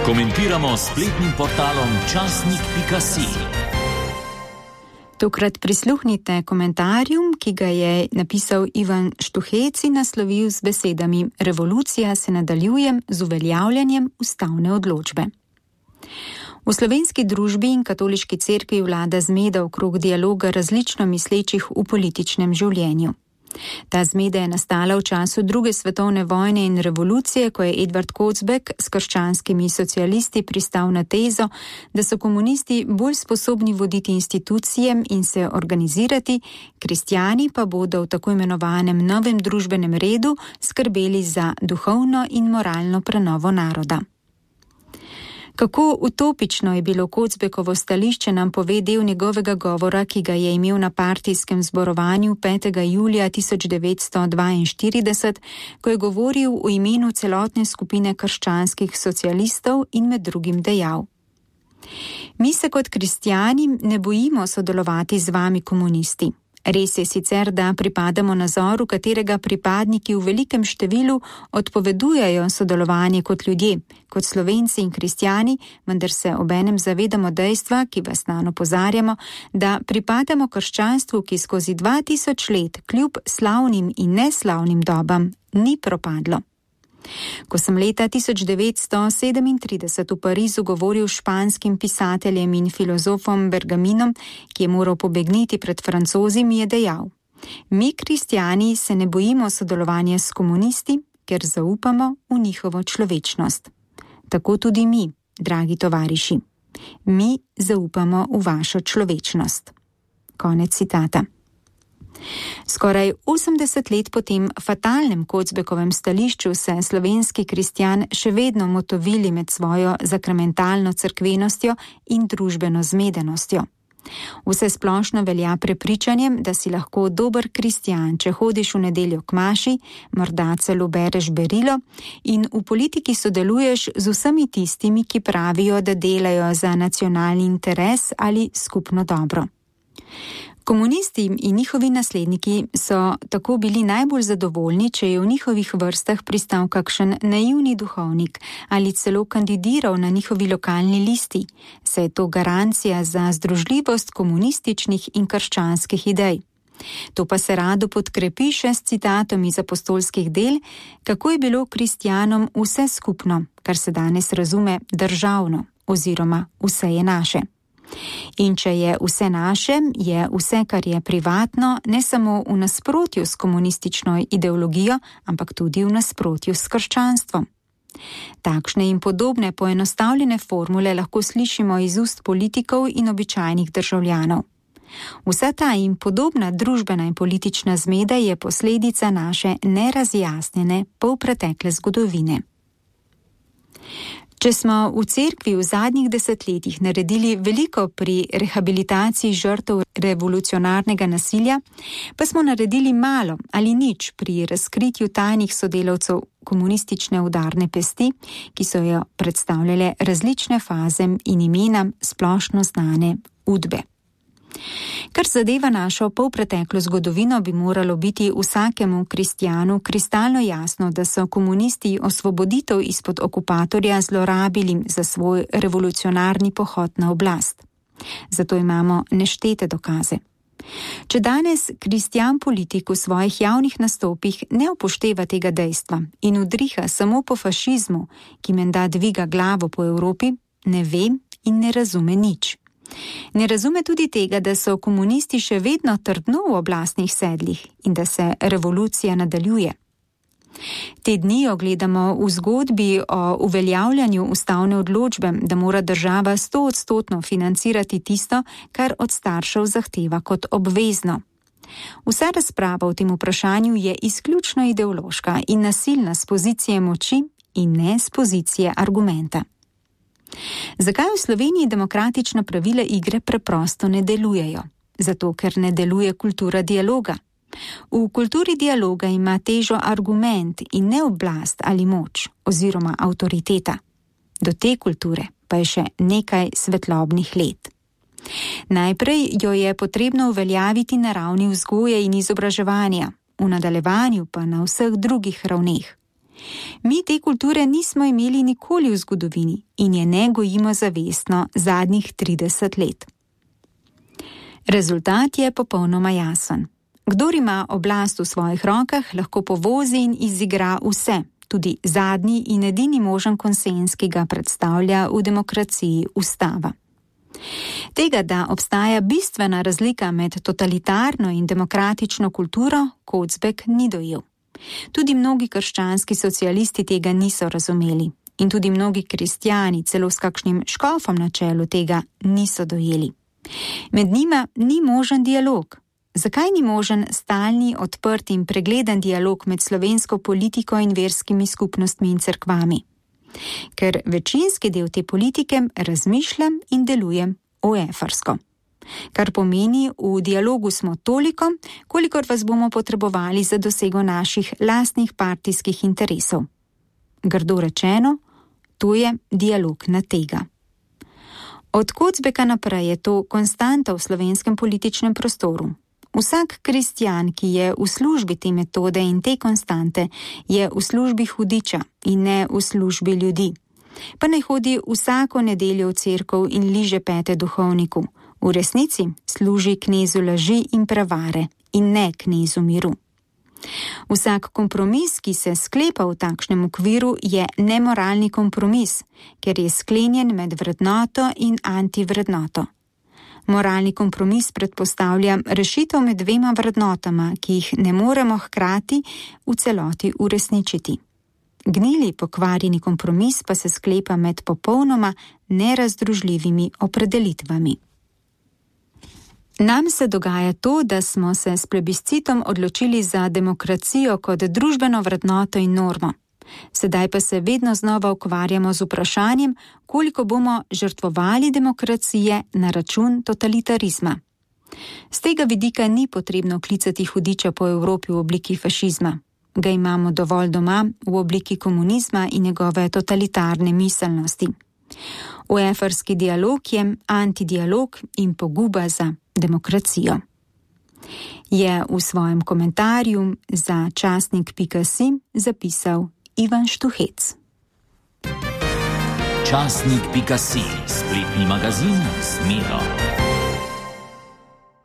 Komentiramo s spletnim portalom časnik.si. Tokrat prisluhnite komentarju, ki ga je napisal Ivan Štuhec in naslovil z besedami: Revolucija se nadaljuje z uveljavljanjem ustavne odločbe. V slovenski družbi in katoliški cerkvi vlada zmeda okrog dialoga različno mislečih v političnem življenju. Ta zmeda je nastala v času druge svetovne vojne in revolucije, ko je Edvard Kocbek s krščanskimi socialisti pristal na tezo, da so komunisti bolj sposobni voditi institucije in se organizirati, kristjani pa bodo v tako imenovanem novem družbenem redu skrbeli za duhovno in moralno prenovo naroda. Kako utopično je bilo Kocbekovo stališče, nam pove del njegovega govora, ki ga je imel na partijskem zborovanju 5. julija 1942, ko je govoril v imenu celotne skupine krščanskih socialistov in med drugim dejal: Mi se kot kristjani ne bojimo sodelovati z vami komunisti. Res je sicer, da pripadamo nazoru, katerega pripadniki v velikem številu odpovedujejo sodelovanje kot ljudje, kot Slovenci in kristjani, vendar se obenem zavedamo dejstva, ki vas nanj opozarjamo, da pripadamo krščanstvu, ki skozi 2000 let kljub slavnim in neslavnim dobam ni propadlo. Ko sem leta 1937 v Parizu govoril s španskim pisateljem in filozofom Bergaminom, ki je moral pobegniti pred Francozi, mi je dejal: Mi, kristjani, se ne bojimo sodelovanja s komunisti, ker zaupamo v njihovo človečnost. Tako tudi mi, dragi tovariši. Mi zaupamo v vašo človečnost. Konec citata. Skoraj 80 let po tem fatalnem Kocbekovem stališču se slovenski kristjan še vedno motovili med svojo zakramentalno cerkvenostjo in družbeno zmedenostjo. Vse splošno velja prepričanjem, da si lahko dober kristjan, če hodiš v nedeljo k maši, morda celo bereš berilo in v politiki sodeluješ z vsemi tistimi, ki pravijo, da delajo za nacionalni interes ali skupno dobro. Komunisti in njihovi nasledniki so tako bili najbolj zadovoljni, če je v njihovih vrstah pristal kakšen naivni duhovnik ali celo kandidiral na njihovi lokalni listi, saj je to garancija za združljivost komunističnih in krščanskih idej. To pa se rado podkrepi še s citatom iz apostolskih del, kako je bilo kristjanom vse skupno, kar se danes razume državno oziroma vse je naše. In če je vse naše, je vse, kar je privatno, ne samo v nasprotju s komunistično ideologijo, ampak tudi v nasprotju s krščanstvom. Takšne in podobne poenostavljene formule lahko slišimo iz ust politikov in običajnih državljanov. Vsa ta in podobna družbena in politična zmeda je posledica naše nerazjasnjene polpretekle zgodovine. Če smo v cerkvi v zadnjih desetletjih naredili veliko pri rehabilitaciji žrtev revolucionarnega nasilja, pa smo naredili malo ali nič pri razkritju tajnih sodelavcev komunistične udarne pesti, ki so jo predstavljale različne faze in imena splošno znane Udbe. Kar zadeva našo polpreteklo zgodovino, bi moralo biti vsakemu kristjanu kristalno jasno, da so komunisti osvoboditev izpod okupatorja zlorabili za svoj revolucionarni pohod na oblast. Zato imamo neštete dokaze. Če danes kristjan politik v svojih javnih nastopih ne upošteva tega dejstva in udriha samo po fašizmu, ki menda dviga glavo po Evropi, ne ve in ne razume nič. Ne razume tudi tega, da so komunisti še vedno trdno v oblastnih sedlih in da se revolucija nadaljuje. Te dni jo gledamo v zgodbi o uveljavljanju ustavne odločbe, da mora država 100% financirati tisto, kar od staršev zahteva kot obvezno. Vsa razprava o tem vprašanju je izključno ideološka in nasilna s pozicije moči in ne s pozicije argumenta. Zakaj v Sloveniji demokratična pravila igre preprosto ne delujejo? Zato, ker ne deluje kultura dialoga. V kulturi dialoga ima težo argument in ne oblast ali moč oziroma avtoriteta. Do te kulture pa je še nekaj svetlobnih let. Najprej jo je potrebno uveljaviti na ravni vzgoje in izobraževanja, v nadaljevanju pa na vseh drugih ravneh. Mi te kulture nismo imeli nikoli v zgodovini in je ne gojimo zavestno zadnjih 30 let. Rezultat je popolnoma jasen. Kdor ima oblast v svojih rokah, lahko povozi in izigra vse, tudi zadnji in edini možen konsenz, ki ga predstavlja v demokraciji ustava. Tega, da obstaja bistvena razlika med totalitarno in demokratično kulturo, Kozbek ni dojel. Tudi mnogi krščanski socialisti tega niso razumeli in tudi mnogi kristjani, celo s kakšnim škofom na čelu, tega niso dojeli. Med njima ni možen dialog. Zakaj ni možen stalni, odprt in pregleden dialog med slovensko politiko in verskimi skupnostmi in cerkvami? Ker večinski del te politike razmišljam in delujem oefarsko. Kar pomeni, v dialogu smo toliko, kolikor vas bomo potrebovali za dosego naših lastnih partijskih interesov. Grdo rečeno, to je dialog na tega. Od Kozbeka naprej je to konstanta v slovenskem političnem prostoru. Vsak kristjan, ki je v službi te metode in te konstante, je v službi hudiča in ne v službi ljudi. Pa naj hodi vsako nedeljo v cerkev in liže pete duhovniku. V resnici služi knezu laži in prevare in ne knezu miru. Vsak kompromis, ki se sklepa v takšnem okviru, je nemoralni kompromis, ker je sklenjen med vrednoto in antivrednoto. Moralni kompromis predpostavlja rešitev med dvema vrednotama, ki jih ne moremo hkrati v celoti uresničiti. Gnili, pokvarjeni kompromis pa se sklepa med popolnoma nerazdružljivimi opredelitvami. Nam se dogaja to, da smo se s plebiscitom odločili za demokracijo kot družbeno vrednoto in normo. Sedaj pa se vedno znova ukvarjamo z vprašanjem, koliko bomo žrtvovali demokracije na račun totalitarizma. Z tega vidika ni potrebno klicati hudiča po Evropi v obliki fašizma. Ga imamo dovolj doma v obliki komunizma in njegove totalitarne miselnosti. Oefarski dialog je antidialog in poguba za demokracijo. Je v svojem komentarju za časnik.si zapisal Ivan Štuhec. Časnik.si, spletni magazin z Miro.